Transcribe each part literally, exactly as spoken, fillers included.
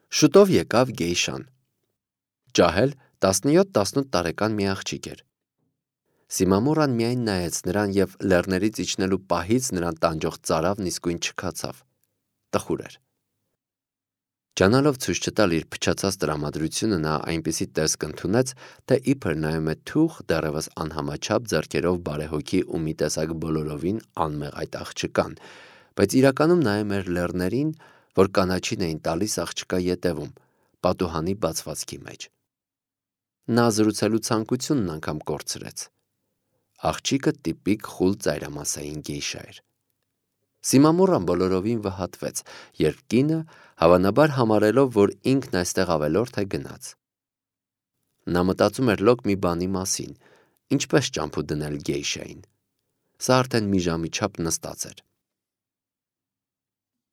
Շուտով եկավ գեյշան։ Ջահել տասնյոթ տասնութ տարեկան մի աղջիկ էր։ Սիմամուրան միայն նայեց նրան և լեռներից իջնելու պահից նրան տանջող ծարավն իսկույն չքացավ։ Տխուր էր։ Ջանալով ցույց չտալ իր փչացած տրամադրությունը, նա այնպիսի տեսք ընդունեց, թե իբր նայում է թուխ, դեռևս անհամաչափ ձեռքերով բարեհոգի ու մի տեսակ բոլորովին անմեղ այդ աղջկան, բայց իրականում նայում էր լեռներին, որ կանաչին էին տալիս աղջկա ետևում, պատուհանի բացվածքի մեջ։ Նա զրուցելու ցանկությունն անգամ կորցրեց։ Աղջիկը տիպիկ խուլ ծայրամասային գեյշա էր։ Սիմամուրան բոլորովին վհատվեց, երբ կինը, հավանաբար համարելով, որ ինքն այստեղ ավելորդ է, գնաց։ Նա մտածում էր լոկ մի բանի մասին, ինչպես ճամփու դնել գեյշային։ Սա արդեն մի ժամի չափ նստած էր։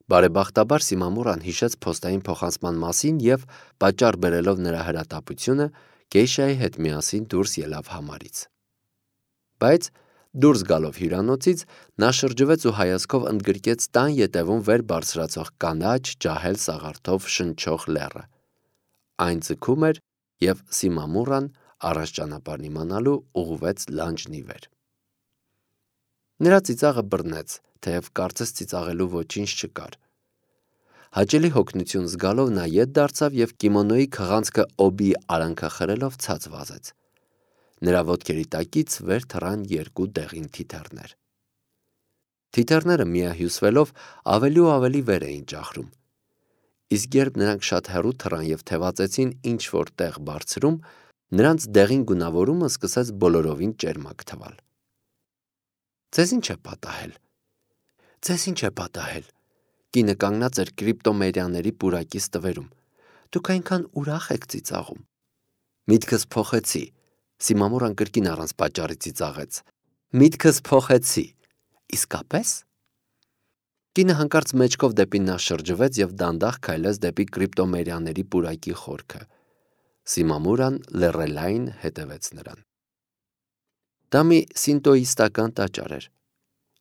Բարեբախտաբար Սիմամուրան հիշեց փոստային փոխանցման մասին և, պատճառ բերելով նրա հրատապությունը, գեյշայի հետ միասին դուրս ելավ համարից։ Բայց դուրս գալով հյուրանոցից, նա շրջվեց ու հայացքով ընդգրկեց տան ետևում վեր բարձրացող կանաչ ջահել սաղարթով շնչող լեռը։ Այն ձգում էր, և Սիմամուրան, առաջ ճանապարհն իմանալու, ուղղվեց լանջն ի վեր։ Նրա ծիծաղը բռնեց, թեև կարծես ծիծաղելու ոչինչ չկար։ Հաճելի հոգնություն զգալով նա ետ դարձավ և կիմոնոյի քղանցքը օբի արանքախրելով ցած վազեց։ Նրա ոտքերի տակից վեր թռան երկու դեղին թիթեռներ։ Թիթեռները միահյուսվելով ավելի ու ավելի վեր էին ճախրում։ Իսկ երբ նրանք շատ հեռու թռան և թևածեցին ինչ-որ տեղ բարձրում, նրանց դեղին գունավորումը սկսեց բոլորովին ճերմակ թվալ։ Ձեզ ի՞նչ է պատահել։ Ձեզ ի՞նչ է պատահել։ Կինը կանգնած էր կրիպտոմերիաների պուրակի ստվերում։ Դուք այնքան ուրախ եք ծիծաղում։ Միտքս փոխեցի։ Սիմամուրան կրկին առանց պատճառի ծիծաղեց։ Միտքս փոխեցի։ Իսկապես։ Կինը հանկարծ մեջքով դեպի նա շրջվեց և դանդաղ քայլեց դեպի կրիպտոմերիաների պուրակի խորքը։ Սիմամուրան լռելային հետևեց նրան։ Դա մի սինտոիստական տաճար էր։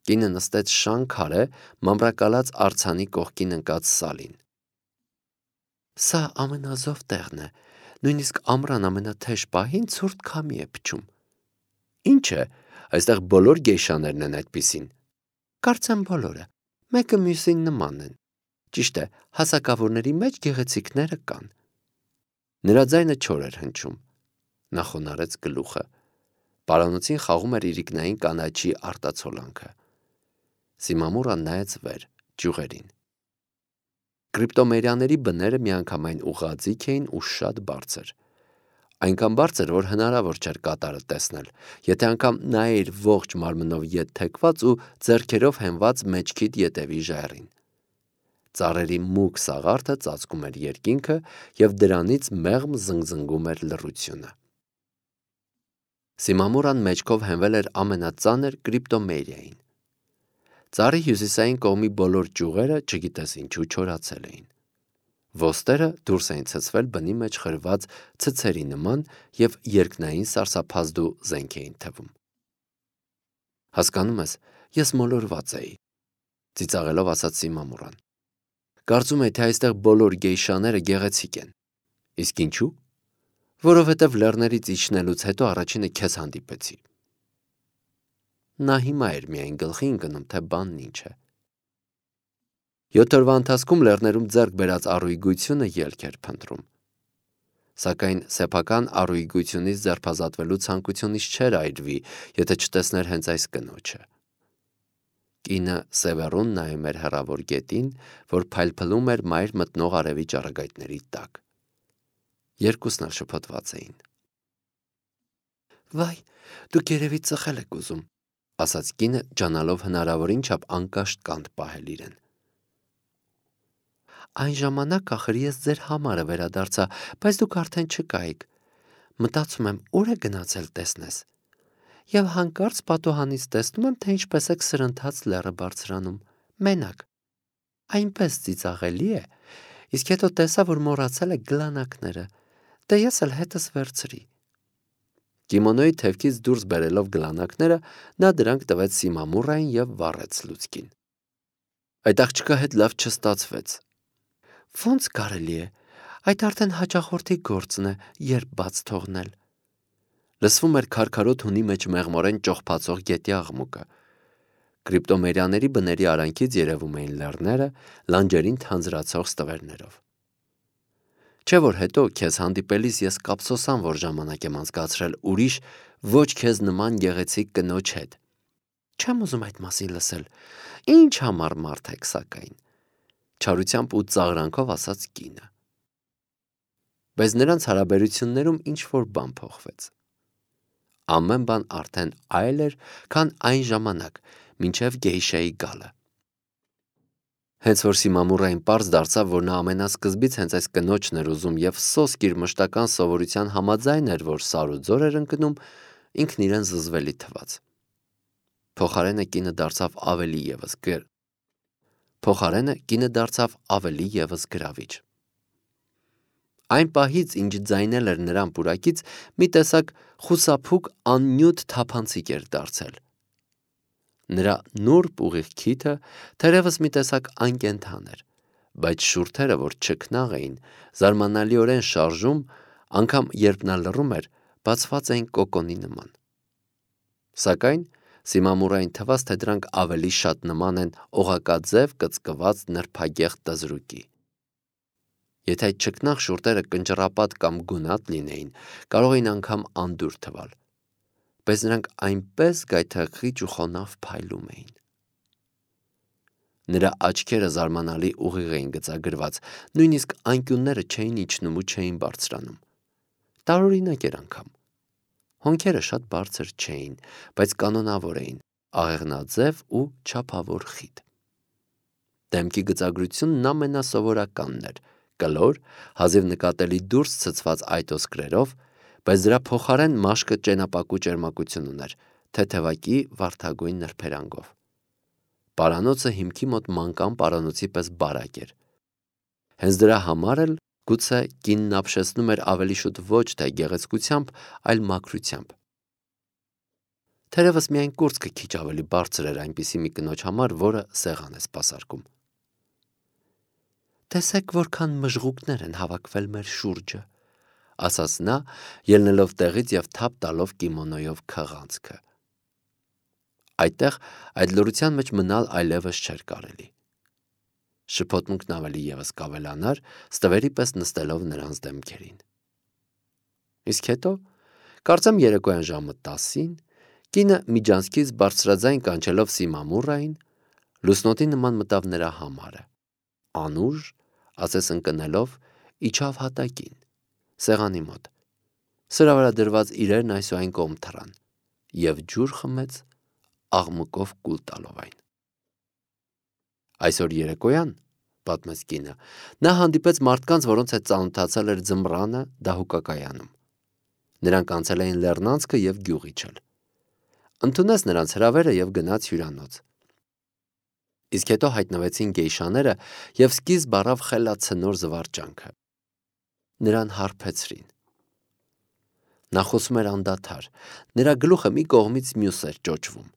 Կինը նստեց շան քարե, մամրակալած արձանի կողքին ընկած սալին։ Սա ամենազով տեղն է, նույնիսկ ամռան ամենաթեժ պահին ցուրտ քամի է փչում։ Ինչ է, այստեղ բոլոր գեյշաներն են այդպիսին։ Կարծեմ բոլորը, մեկը մյուսին նման են։ Ճիշտ է, հասակավորների մեջ գեղեցիկները կան։ Նրա ձայնը չոր էր հնչում։ Նա խոնարհեց գլուխը։ Պարանոցին խաղում էր իրիկնային կանաչի արտացոլանքը։ Սիմամուրան նայեց վեր, ճյուղերին։ Կրիպտոմերիաների բները միանգամայն ուղղաձիգ էին ու շատ բարձր։ Այնքան բարձր, որ հնարավոր չէր կատարը տեսնել, եթե անգամ նայեիր ողջ մարմնով ետ թեքված ու ձեռքերով հենված մեջքիդ ետևի ժայռին։ Ծառերի մուգ սաղարթը ծածկում էր երկինքը, և դրանից մեղմ զնգզնգում էր լռությունը։ Սիմամուրան մեջքով հենվել էր ամենածանր կրիպտոմերիային։ Ծառի հյուսիսային կողմի բոլոր ճյուղերը, չգիտես ինչու, չորացել էին։ Ոստերը դուրս էին ցցվել բնի մեջ խրված ցցերի նման և երկնային սարսափազդու զենք էին թվում։ Հասկանում ես, ես մոլորված էի, ծիծաղելով ասաց Սիմամուրան։ Կարծում էի, թե այստեղ բոլոր գեյշաները գեղեցիկ են։ Իսկ ինչու։ Որովհետև լեռներից իջնելուց հետո առաջինը քեզ հանդիպեցի։ Նա հիմա էր միայն գլխի ընկնում, թե բանն ինչ է։ Յոթ օրվա ընթացքում լեռներում ձեռք բերած առուգությունը ելք էր փնտրում։ Սակայն սեփական առուգությունից ձերբազատվելու ցանկությունից չէր այրվի, եթե չտեսներ հենց այս կնոջը։ Կինը սևեռուն նայում էր հեռավոր գետին, որ փայլփլում էր մայր մտնող արևի ճառագայթների տակ։ Երկուսն էլ շփոթված էին։ Վայ, դուք երևի ծխել եք ուզում, ասաց կինը, ջանալով հնարավորին չափ անկաշտ կանտ պահել իրեն։ Այն ժամանակ ախր ես ձեր համարը վերադարձա, բայց դուք արդեն չկայիք։ Մտածում եմ, ուր է գնացել տեսնես։ Եվ հանկարծ պատուհանից տեսնում եմ, թե ինչպես եք սրընթաց լեռը բարձրանում, մենակ։ Այնպես ծիծաղելի է, իսկ հետո տեսա, որ մոռացել եք գլանակները, դե ես էլ հետս վերցրի։ Կիմոնոյի թևքից դուրս բերելով գլանակները, նա դրանք տվեց Սիմամուրային և վառեց լուցկին։ Այդ աղջկա հետ լավ չստացվեց։ Ոնց կարելի է։ Այդ արդեն հաճախորդի գործն է, երբ բաց թողնել։ Լսվում էր քարքարոտ հունի մեջ մեղմորեն ճողփացող գետի աղմուկը։ Կրիպտոմերյաների բների արանքից երևում էին լեռները, լանջերին թանձրացող ստվերներով։ Չէ՞ որ հետո քեզ հանդիպելիս ես կապսոսան, որ ժամանակ եմ անցկացրել ուրիշ, ոչ քեզ նման գեղեցիկ կնոջ հետ։ Չեմ ուզում այդ մասին լսել։ Ինչ համառ մարդ եք, սակայն, չարությամբ ու ծաղրանքով ասաց կինը։ Բայց նրանց հարաբերություններում ինչ-որ բան փոխվեց։ Ամեն բան արդեն այլ էր, քան այն ժամանակ, մինչև գեյշայի գալը։ Հենց որ Սիմամուրային պարզ դարձավ, որ նա ամենասկզբից հենց այս կնոջն էր ուզում և սոսկ իր մշտական սովորության համաձայն էր, որ սար ու ձոր էր ընկնում, ինքն իրեն զզվելի թվաց։ Փոխարենը կինը դարձավ ավելի ևս գր... Փոխարենը կինը դարձավ ավելի ևս գրավիչ։ Այն պահից, ինչ ձայնել էր նրան պուրակից, մի տեսակ խուսափուկ աննյութ թափանցիկ էր դարձել։ Նրա նուրբ ուղիղ քիթը թերևս մի տեսակ անկենդան էր, բայց շուրթերը, որ չքնաղ էին, զարմանալիորեն շարժում, անգամ երբ նա լռում էր, բացված էին կոկոնի նման։ Սակայն Սիմամուրային թվաց, թե դրանք ավելի շատ նման են օղակաձև կծկված նրբագեղ տզրուկի։ Եթե այդ չքնաղ շուրթերը կնճռապատ կամ գունատ լինեին, կարող էին անգամ անդուր թվալ, բայց նրանք այնպես գայթակղիչ ու խոնավ փայլում էին։ Նրա աչքերը զարմանալի ուղիղ էին գծագրված, նույնիսկ անկյունները չէին իջնում ու չէին բարձրանում։ Տարօրինակ էր անգամ։ Հոնքերը շատ բարձր չէին, բայց կանոնավոր էին, աղեղնաձև ու չափավոր խիտ։ Դեմքի գծագրությունն ամենասովորականն էր, կլոր, հազիվ նկատելի դուրս ցցված այտոսկրերով, բայց դրա փոխարեն մաշկը ճենապակու ճերմակություն ուներ, թեթևակի վարդագույն նրբերանգով։ Պարանոցը հիմքի մոտ մանկան պարանոցի պես բարակ էր։ Հենց դրա համար էլ գուցե կինն ապշեցնում էր ավելի շուտ ոչ թե գեղեցկությամբ, այլ մաքրությամբ։ Թերևս միայն կուրծքը քիչ ավելի բարձր էր այնպիսի մի կնոջ համար, որը սեղան է սպասարկում։ Տեսեք, որքան մժղուկներ են հավաքվել մեր շուրջը, ասաց նա, ելնելով տեղից և թափ տալով կիմոնոյով քղանցքը։ Այդտեղ այդ լռության մեջ մնալ այլևս չէր կարելի։ Շփոթմունքն ավելի ևս կավելանար, ստվերի պես նստելով նրանց դեմքերին։ Իսկ հետո, կարծեմ երեկոյան ժամը տասին, կինը միջանցքից բարձրաձայն կանչելով Սիմամուրային, լուսնոտի նման մտավ նրա համարը, անուժ, ասես ընկնելով, իջավ հատակին, սեղանի մոտ, սրա վրա դրված իրերն այսուայն կողմ թռան, և ջուր խմեց, աղմուկով կուլ տալով այն։ Այսօր երեկոյան, պատմեց կինը, նա հանդիպեց մարդկանց, որոնց հետ ծանոթացել էր ձմռանը դահուկակայանում։ Նրանք անցել էին լեռնանցքը և գյուղ իջել։ Ընդունեց նրանց հրավերը և գնաց հյուրանոց։ Իսկ հետո հայտնվեցին գեյշաները և սկիզբ առավ խելացնոր զվարճանքը։ Նրան հարբեցրին։ Նա խոսում էր անդադար, նրա գլուխը մի կողմից մյուս էր ճոճվում։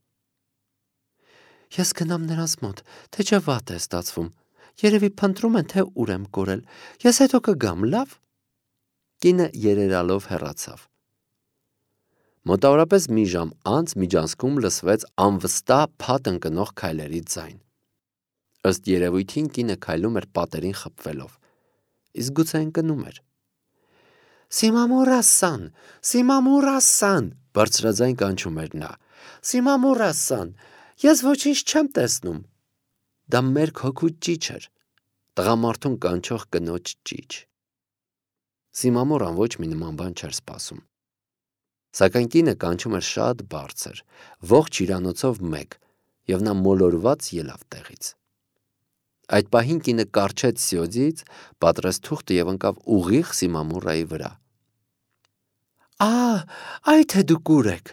Ես գնամ նրանց մոտ, թե չէ վատ է ստացվում, երևի փնտրում են, թե ուր եմ կորել, ես հետո կգամ, լավ։ Կինը երերալով հեռացավ։ Մոտավորապես մի ժամ անց միջանցքում լսվեց անվստահ փաթ ընկնող քայլերի ձայն։ Ըստ երևույթին կինը քայլում էր պատերին խփվելով, իսկ գուցե ընկնում էր։ Սիմամուրասան, Սիմամուրասան, բարձրաձայն կանչում էր նա։ Սիմամուրասան, ես ոչինչ չեմ տեսնում։ Դա մերկ հոգու ճիչ էր, տղամարդուն կանչող կնոջ ճիչ։ Սիմամուրան ոչ մի նման բան չէր սպասում։ Սակայն կինը կանչում էր շատ բարձր, ողջ հյուրանոցով մեկ, և նա մոլորված ելավ տեղից։ Այդ պահին կինը կառչեց սյոձից, պատրեց թուղթը և ընկավ ուղիղ Սիմամուրայի վրա։ Ա, այ թե դուք ուր եք։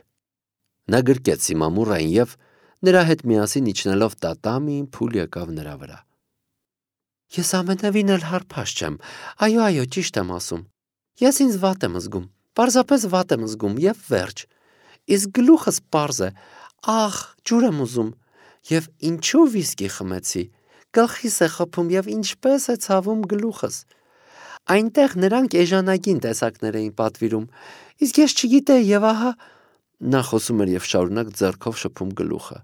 Նա գրկեց Սիմամուրային և, նրա հետ միասին իջնելով տատամիին, փուլ եկավ նրա վրա։ Ես ամենևին էլ հարբած չեմ, այո, այո, ճիշտ եմ ասում։ Ես ինձ վատ եմ զգում, պարզապես վատ եմ զգում և վերջ։ Իսկ գլուխս պարզ է, ախ, ջուր եմ ուզում, և ինչու վիսկի խմեցի, գլխիս է խփում և ինչպես է ցավում գլուխս։ Այնտեղ նրանք էժանագին տեսակներ էին պատվիրում, իսկ ես չգիտեի եւ ահա նա խոսում էր եւ շարունակ ձեռքով շփում գլուխը։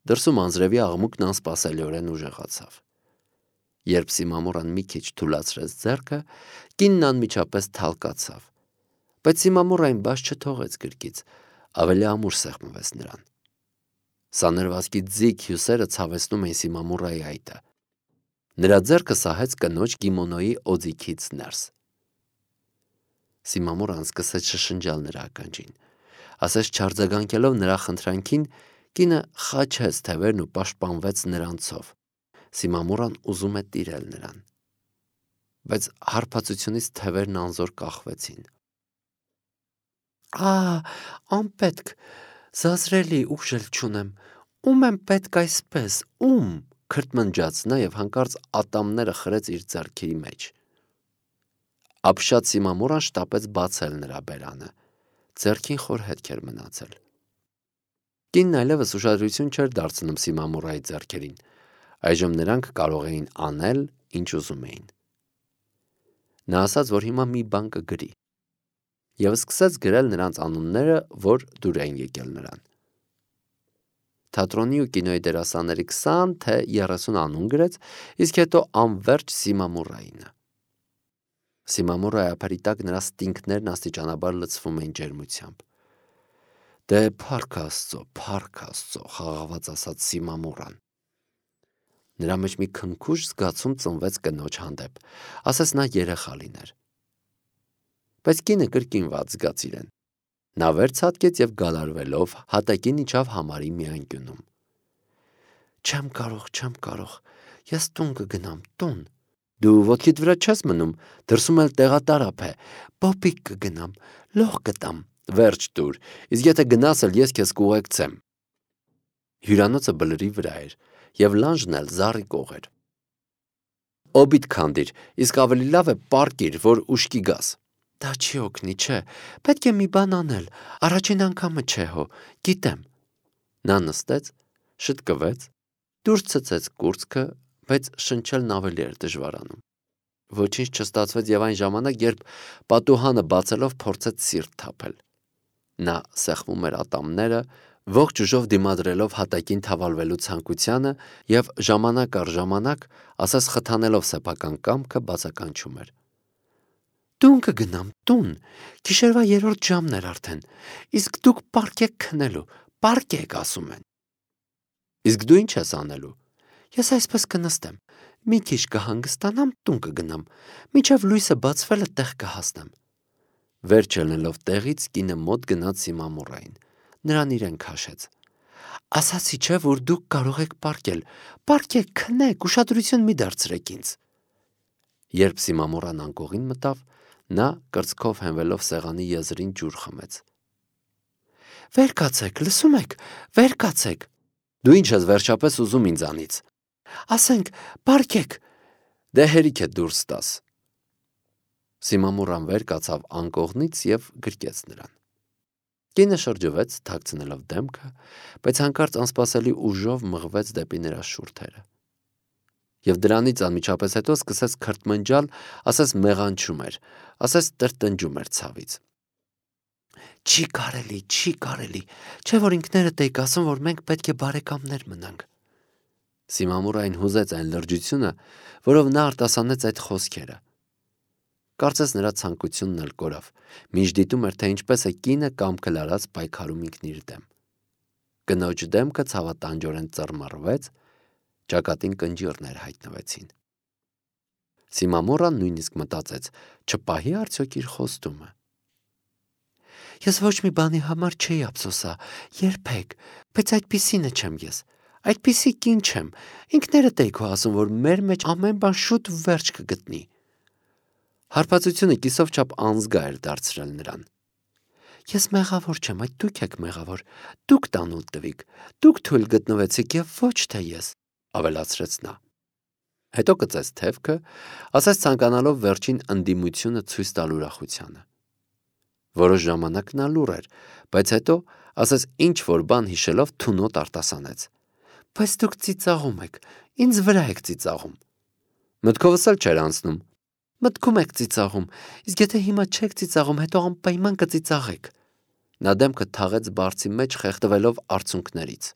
Դրսում անձրևի աղմուկն անսպասելիորեն ուժեղացավ։ Երբ Սիմամուրան մի քիչ թուլացրեց ձեռքը, կինն անմիջապես թալկացավ, բայց Սիմամուրային բաց չթողեց գրկից, ավելի ամուր սեղմվեց նրան։ Սաներվածքի ձիգ հյուսերը ցավեցնում էին Սիմամուրայի այտը։ Նրա ձեռքը սահեց կնոջ կիմոնոյի օձիքից ներս։ Սիմամուրան սկսեց շշնջալ նրա ականջին, ասես չարձագանքելով նրա խնդրանքին, կինը խաչեց թևերն ու պաշտպանվեց նրանցով։ Սիմամուրան ուզում է տիրել նրան, բայց հարբածությունից թևերն անզոր կախվեցին։ Ա, անպետք, զազրելի ուժ էլ չունեմ, ում եմ պետք այսպես, ում, քրթմնջաց նա եւ հանկարծ ատամները խրեց իր ձեռքերի մեջ։ Ապշած Սիմամուրան շտապեց բացել նրա բերանը, ձեռքին խոր հետք էր մնացել։ Կինն այլևս ուշադրություն չէր դարձնում Սիմամուրայի ձեռքերին, այժմ նրանք կարող էին անել, ինչ ուզում էին։ Նա ասաց, որ հիմա մի բան կգրի եւ սկսեց գրել նրանց անունները, որ դուր էին եկել նրան։ Թատրոնի ու կինոյի դերասանների քսան թե երեսուն անուն գրեց, իսկ հետո անվերջ Սիմամուրայինը։ Սիմամուրայի ափերի տակ նրա ստինքներն աստիճանաբար լցվում էին ջերմությամբ։ Դե փառք Աստծո, փառք Աստծո, խաղաղված ասաց Սիմամուրան։ Նրա մեջ մի քնքուշ զգացում ծնվեց կնոջ հանդեպ, ասես նա երեխա լիներ։ Բայց կինը կրկին վատ զգաց իրեն։ Նա վեր ցատկեց եւ գալարվելով հատակին իջավ համարի մի անկյունում։ Չեմ կարող, չեմ կարող, ես տուն կգնամ, տուն։ Դու ոտքիդ վրա չես մնում, դրսում էլ տեղատարապ է, պոպիկ կգնամ, լող կտամ, վերջ տուր, իսկ եթե գնաս էլ ես քեզ կուղեկցեմ։ Հյուրանոցը բլրի վրա էր եւ լանջն էլ զառիկող էր։ Օբիտ քանդիր, իսկ ավելի լավ է պարկիր, որ ուշքի գաս։ Դա չի օգնի, չէ, պետք է մի բան անել, առաջին անգամը չէ հո, գիտեմ։ Նա նստեց, շտկվեց, դուրս ցցեց կուրծքը, բայց շնչելն ավելի էր դժվարանում։ Ոչինչ չստացվեց եւ այն ժամանակ, երբ պատուհանը բացելով փորձեց սիրտ թափել։ Նա սեղմում էր ատամները, ողջ ուժով դիմադրելով հատակին թավալվելու ցանկությանը եւ ժամանակ առ ժամանակ, ասես խթանելով սեփական կամքը, բացականչում էր. Տուն կգնամ, տուն, գիշերվա երրորդ ժամն էր արդեն, իսկ դուք պարկ եք քնելու, պարկ եք ասում են։ Իսկ դու ինչ ես անելու։ Ես այսպես կնստեմ, մի քիչ կհանգստանամ, տուն կգնամ, մինչև լույսը բացվելը տեղ կհասնեմ։ Վերջ ելնելով տեղից, կինը մոտ գնաց Սիմամուրային, նրան իրեն քաշեց։ Ասացի չէ, որ դուք կարող եք պարկել, պարկեք, քնեք, ուշադրություն մի դարձրեք ինձ։ Երբ Սիմամուրան անկողին մտավ, նա կրծքով հենվելով սեղանի եզրին ջուր խմեց։ Վեր կացեք, լսում եք, վեր կացեք։ Դու ինչ ես վերջապես ուզում ինձանից։ Ասենք, պարկեք։ Դե հերիք է դուրս տաս։ Սիմամուրան վեր կացավ անկողնից եւ գրկեց նրան։ Կինը շրջվեց, թաքցնելով դեմքը, բայց հանկարծ անսպասելի ուժով մղվեց դեպի նրա շուրթերը։ Եվ դրանից անմիջապես հետո սկսեց քրթմնջալ, ասես մեղանչում էր, ասես տրտնջում էր ցավից։ Չի կարելի, չի կարելի, չէ որ ինքներդ եք ասում, որ մենք պետք է բարեկամներ մնանք։ Սիմամուրային հուզեց այն լրջությունը, որով նա արտասանեց այդ խոսքերը։ Կարծես նրա ցանկությունն էլ կորավ, մինչ դիտում էր, թե ինչպես է կինը կամքը լարած պայքարում ինքն իր դեմ։ Կնոջ դեմքը ցավատանջորեն ծռմռվեց, ճակատին կնճիռներ հայտնվեցին։ Սիմամուրան նույնիսկ մտածեց, չպահի արդյոք իր խոստումը։ Ես ոչ մի բանի համար չէի ափսոսա, երբեք, բայց այդպիսինը չեմ ես, այդպիսի կին չեմ, ինքներդ եք ասում, որ մեր մեջ ամեն բան շուտ վերջ կգտնի։ Հարբածությունը կիսով չափ անզգա էր դարձրել նրան։ Ես մեղավոր չեմ, այդ դուք եք մեղավոր, դուք տանուլ տվիք, դուք թույլ գտնվեցիք եւ ոչ թե ես, ավելացրեց նա։ Հետո կծեց թևքը, ասես ցանկանալով վերջին ընդդիմությունը ցույց տալ ուրախությանը։ Որոշ ժամանակ նա լուռ էր, բայց հետո, ասես ինչ որ բան հիշելով թունոտ արտասանեց։ Բայց դուք ծիծաղում եք, ինձ վրա եք ծիծաղում։ Մտքովս էլ չէր անցնում։ Մտքում եք ծիծաղում, իսկ եթե հիմա չեք ծիծաղում, հետո անպայման կծիծաղեք։ Նա դեմքը թաղեց բարձի մեջ, խեղդվելով արցունքներից։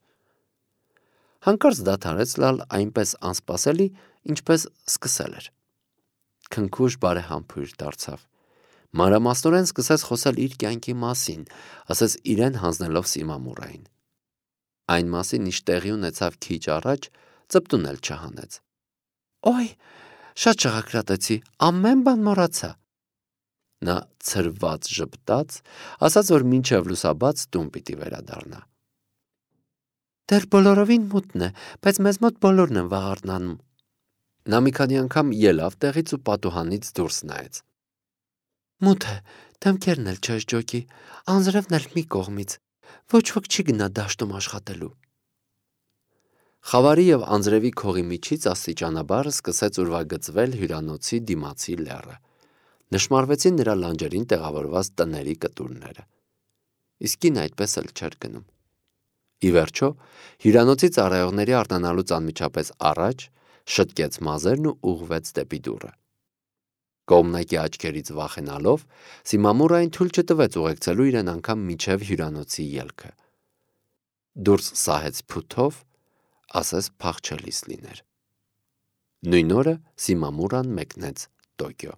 Հանկարծ դադարեց լալ այնպես անսպասելի, ինչպես սկսել էր։ Քնքուշ բարեհամբույր դարձավ։ Մանրամասնորեն սկսեց խոսել իր կյանքի մասին, ասես իրեն հանձնելով Սիմամուրային։ Այն մասին, ինչ տեղի ունեցավ քիչ առաջ, ծպտուն էլ չհանեց։ Օй, շատ շաղակրատեցի, ամեն բան մոռացա։ Նա ցրված ժպտաց, ասաց, որ մինչև լուսաբաց տուն պիտի վերադառնա։ Դեռ բոլորովին մութն է, բայց մեզ մոտ բոլորն են վաղ արթնանում։ Նա մի քանի անգամ ելավ տեղից ու պատուհանից դուրս նայեց։ Մութ է, դեմքերն էլ չեշջոկի, անձրևն էլ մի կողմից, ոչ ոք չի գնա դաշտում աշխատելու։ Խավարի և անձրևի քողի միջից աստիճանաբար սկսեց ուրվագծվել հյուրանոցի դիմացի լեռը։ Նշմարվեցին նրա լանջերին տեղավորված տների կտուրները։ Իսկ կինը այդպես էլ չէր գնում։ Ի վերջո, հյուրանոցի ծառայողների արթնանալուց անմիջապես առաջ շտկեց մազերն ու ուղղվեց դեպի դուռը։ Կողմնակի աչքերից վախենալով, Սիմամուրային թույլ չտվեց ուղեկցելու իրեն անգամ մինչև հյուրանոցի ելքը։ Դուրս սահեց փութով, ասես փախչելիս լիներ։ Նույն օրը Սիմամուրան մեկնեց Տոկիո։